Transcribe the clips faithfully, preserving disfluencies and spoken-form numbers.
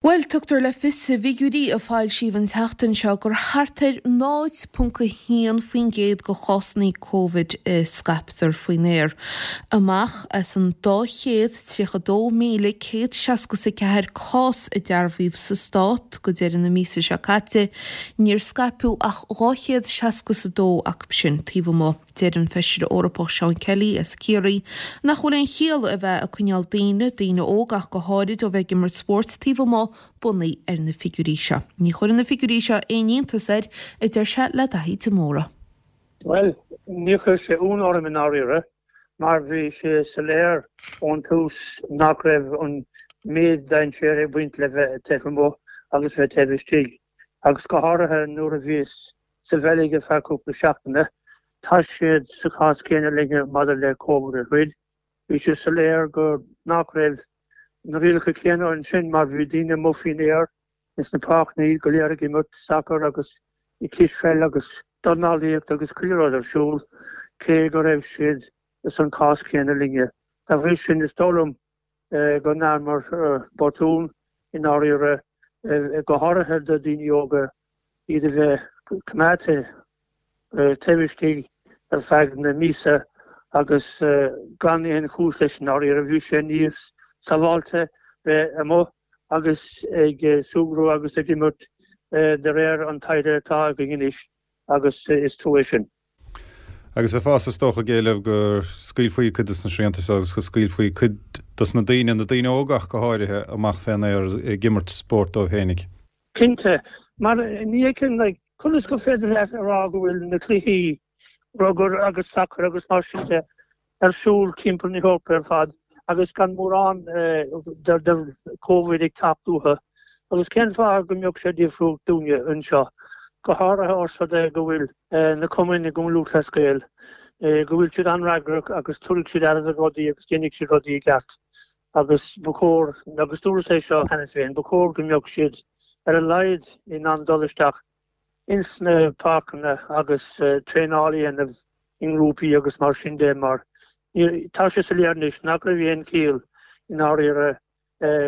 Bhuel, tugtar le fios i bhfigiúirí a foilsíodh an tseachtain seo gur thart ar náid ponc a haon faoin gcéad de chásanna Covid a scaiptear faoin aer. Amach as an dá chéad tríocha dó míle céad seasca is a ceathair cás a dearbhaíodh sa stát go deireadh na míosa seo caite, níor scaipeadh ach dhá chéad seasca is a dó acu sin taobh amuigh. Deir an Feisire Eorpach Seán Kelly as Ciarraí nach bhfuil aon chiall a bheith ag coinneáil daoine, daoine óga ach go háirid, ó bheith ag imirt spóirt taobh amuigh bunaithe ar na figiúirí seo. Ní chuireann na figiúirí seo aon iontas air, a deir sé le Daithí de Mórdha. Bhuel, níor chuir sé ionadh orm i ndáiríre mar bhí sé soiléir ón tús nach raibh an méid dainséir ag baint le bheith taobh amuigh agus bheith taobh istigh, agus go háirithe nuair a bhíos sa Bheilg ar feadh cúpla seachtaine. Tá siad sa chás céanna linne maidir le Covid a throid. Bhí sé soiléir go nach raibh na rialacha céanna ansin mar bhí daoine amuigh faoin aer ins na páirceanna go léir ag imirt sacar agus cispheil agus dornálaíocht agus chuile rud ar siúl cé go raibh siad san cás céanna linne. Dá bhrí sin is dóigh liom go ndearnamar botún i ndáiríre, go háirithe do daoine óga, iad a bheith coimeádta taobh istigh ar feadh na míosa agus gan aon chúis leis i ndáiríre. Bhí sé níos sábháilte bheith amuigh agus ag súgradh agus ag imirt de réir an taighde atá againn anois agus is trua é sin. Agus bheifeá is dócha ag éileamh go scaoilfí cuid des na srianta seo agus go scaoilfí cuid dos na daoine, na daoine óga ach go háirithe, amach fén aer ag imirt spóirt dóibh fhéinig. Cinnte, mar ní fheicim like conas gur féidir leat a rá go bhfuil na cluichí rugair agus sacair agus mar sin de ar siúl timpeall na hEorpa ar fad agus gan mórán de Covid ag teacht uathu. Agus cén fáth go mbeadh sé difriúil dúinne anseo, go háirithe ós rud é go bhfuil na cumainn i gCumann Lúthchleas Gael, go bhfuil siad an-fhreagrach agus tabharfaidh siad aire do rudaí agus déanfaidh siad rudaí i gceart. Agus ba chóir, agus dúras é seo cheana féin, ba chóir go mbeadh siad ar a laghad in ann dul isteach ins na páirceanna agus traenáil a dhéanamh i ngrúpaí agus mar sin de mar tá sé soiléir anois nach raibh aon chiall i ndáiríre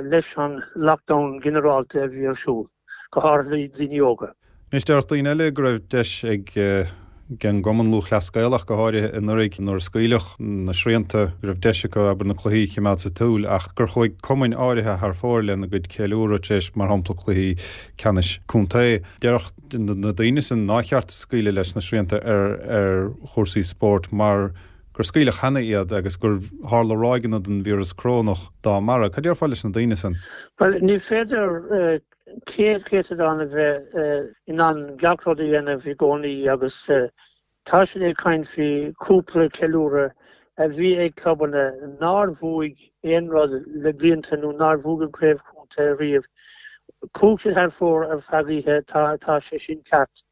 leis an lockdown ginearálta a bhí ar siúl, go háirithe daoine óga. Anois déarfadh daoine eile go raibh deis ag an gCumann Lúthchleas Gaelach, go háirithe anuraidh nuair a scaoileadh na srianta, go raibh deis acu, abair, na cluichí a choimeád sa tsiúl ach gur chuaigh cumainn áirithe thar fóir lena gcuid ceiliúradh tar éis, mar shampla, cluichí ceannais contae. Déarfadh na daoine sin nár cheart scaoileadh leis na srianta ar ar chúrsaí spóirt mar gur scaoileadh cheana iad agus gur tharla ráigeanna den víreas corónach dá mbarra. Cad déarfá leis na daoine sin? Bhuel, ní féidir céad céatadán a bheith in ann gach rud a dhéanamh i gcónaí agus tá siad ag caint faoi cúpla ceiliúradh a bhí ag clubanna nár bhuaigh aon rud le blianta nó nár bhuaigh an craobh chontae riamh. Chuaigh siad thar fóir ar feadh oíche, tá sé sin ceart.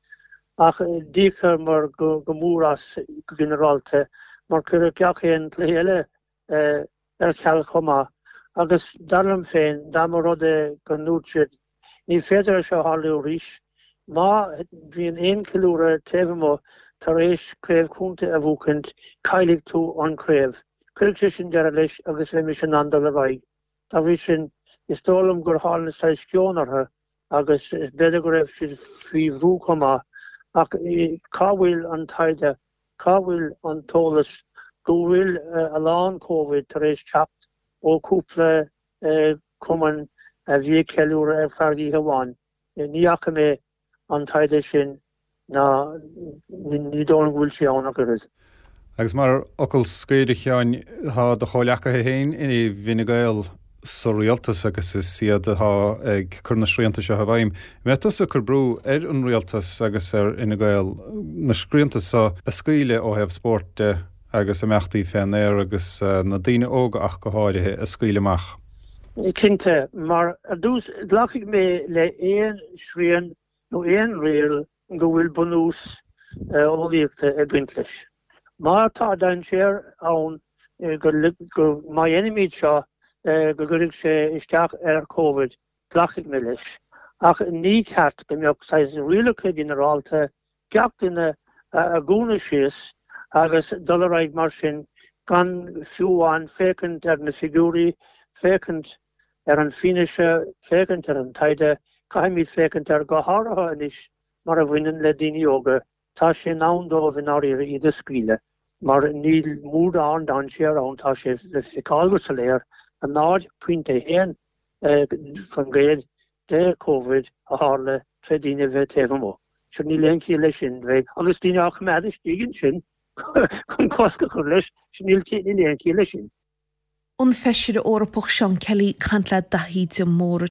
Ach d'íocamar go mór as go ginearálta mar cuireadh gach aon chluiche eile ar ceal chomh maith. Agus dar liom féin, dá mba rud é go ndúirt siad, ní féidir é seo a tharlú arís, má bhíonn aon cheiliúradh taobh amuigh tar éis craobh chontae a bhuachaint, caillfidh tú an chraobh. Cuirfidh sé sin deireadh leis agus bheimis in ann dul ar aghaidh. Dá bhrí sin, is dóigh liom gur tháinig saghas sceon orthu agus b'fhéidir go raibh siad faoi bhrú chomh maith. Ach cá bhfuil an taighde? Cá bhfuil an t-eolas go bhfuil a lán Covid tar éis teacht ó chúpla cumann a bhí ag ceiliúradh ar feadh oíche amháin? Ní fhaca mé an taighde sin ná ní dóigh liom go bhfuil sé ann ach oiread. Agus mar fhocal scoir, a Sheáin, tá do chomhleacaithe féin i bhFine Gael sa rialtas agus is iad atá ag cur na srianta seo i bhfeidhm. An mbeidh tusa ag cur brú ar an rialtas agus ar Fhine Gael na srianta seo a scaoileadh ó thaobh spóirt de agus imeachtaí fén aer agus na daoine óga ach go háirithe a scaoileadh amach? Cinnte, mar ar dtús glacfaidh mé le aon srian nó aon riail go bhfuil bunús eolaíochta ag baint leis. Má tá dainséar ann go má dhéanaimid seo go gcuirfidh sé isteach ar Covid, glacfaidh mé leis. Ach ní ceart go mbeadh saghas rialacha ginearálta, gach duine a dhúnadh síos agus dul ar aghaidh mar sin gan fiú amháin féachaint ar na figiúirí, féachaint ar an fianaise, féachaint ar an taighde, caithfimid féachaint ar go háirithe anois mar a bhaineann le daoine óga, tá sé in am dóibh i ndáiríre iad a scaoileadh mar níl mórán dainséar ann, tá sé le feiceáil go soiléir, a náid pointe a haon faoin gcéad de Covid a tharla tré daoine a bheith taobh amuigh. Sure níl aon chiall leis sin, bheith agus daoine á choimeád istigh ansin chun cosc a chur leis, sure níl aon chiall leis sin. An Feisire Eorpach Seán Kelly ag caint le Daithí de Mórdha.